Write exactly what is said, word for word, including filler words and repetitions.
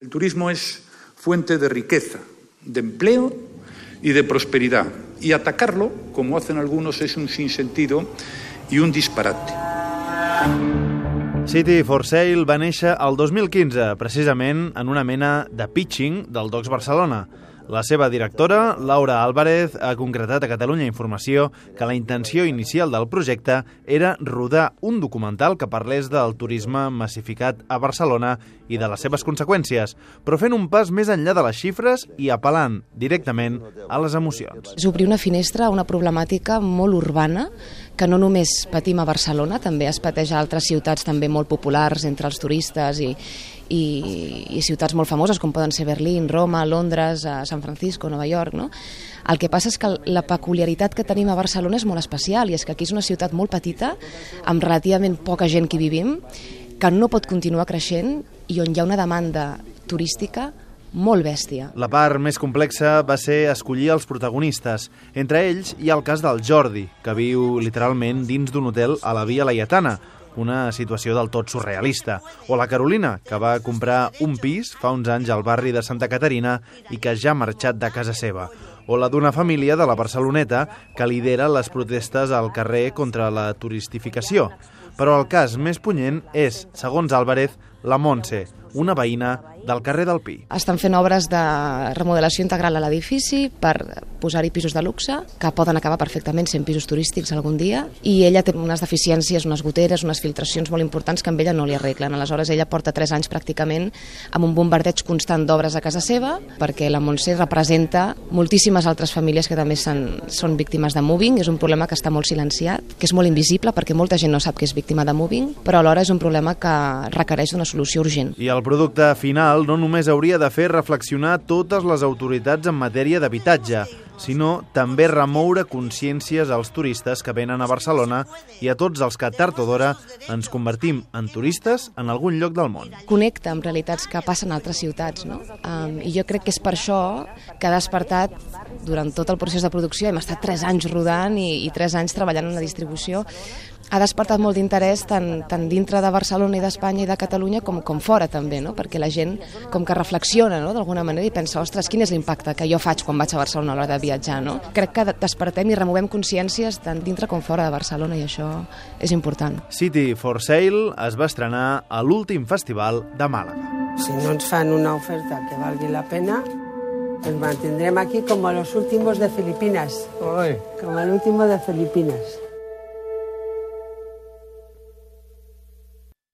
El turismo es fuente de riqueza, de empleo y de prosperidad. Y atacarlo, como hacen algunos, es un sinsentido y un disparate. City for Sale va néixer el dos mil quinze, precisament en una mena de pitching del Docs Barcelona. La seva directora, Laura Álvarez, ha concretat a Catalunya Informació que la intenció inicial del projecte era rodar un documental que parlés del turisme massificat a Barcelona i de les seves conseqüències, però fent un pas més enllà de les xifres i apel·lant directament a les emocions. És obrir una finestra a una problemàtica molt urbana que no només patim a Barcelona, també es pateix a altres ciutats també molt populars entre els turistes i, i, i ciutats molt famoses com poden ser Berlín, Roma, Londres, San Francisco, Nova York, no? El que passa és que la peculiaritat que tenim a Barcelona és molt especial i és que aquí és una ciutat molt petita, amb relativament poca gent que hi vivim, que no pot continuar creixent i on hi ha una demanda turística molt bèstia. La part més complexa va ser escollir els protagonistes. Entre ells hi ha el cas del Jordi, que viu literalment dins d'un hotel a la Via Laietana, una situació del tot surrealista. O la Carolina, que va comprar un pis fa uns anys al barri de Santa Caterina i que ja ha marxat de casa seva. O la d'una família de la Barceloneta que lidera les protestes al carrer contra la turistificació. Però el cas més punyent és, segons Álvarez, la Montse, una veïna del carrer del Pi. Estan fent obres de remodelació integral a l'edifici per posar-hi pisos de luxe, que poden acabar perfectament sent pisos turístics algun dia, i ella té unes deficiències, unes goteres, unes filtracions molt importants que amb ella no li arreglen. Aleshores, ella porta tres anys pràcticament amb un bombardeig constant d'obres a casa seva, perquè la Montse representa moltíssimes altres famílies que també són, són víctimes de moving. És un problema que està molt silenciat, que és molt invisible, perquè molta gent no sap que és víctima de moving, però alhora és un problema que requereix una solució urgent. I el producte final no només hauria de fer reflexionar totes les autoritats en matèria d'habitatge, sinó també remoure consciències als turistes que venen a Barcelona i a tots els que tard o d'hora ens convertim en turistes en algun lloc del món. Connecta amb realitats que passen a altres ciutats, no? Um, I jo crec que és per això que ha despertat durant tot el procés de producció, hem estat tres anys rodant i, i tres anys treballant en la distribució, ha despertat molt d'interès tant, tant dintre de Barcelona i d'Espanya i de Catalunya com, com fora també, no? Perquè la gent com que reflexiona, no? D'alguna manera i pensa, ostres, quin és l'impacte que jo faig quan vaig a Barcelona a l'hora de viatjar, no? Crec que despertem i removem consciències tant dintre com fora de Barcelona i això és important. City for Sale es va estrenar a l'últim festival de Màlaga. Si no ens fan una oferta que valgui la pena, ens mantindrem aquí com a los últimos de Filipinas. Oi. Com el último de Filipinas.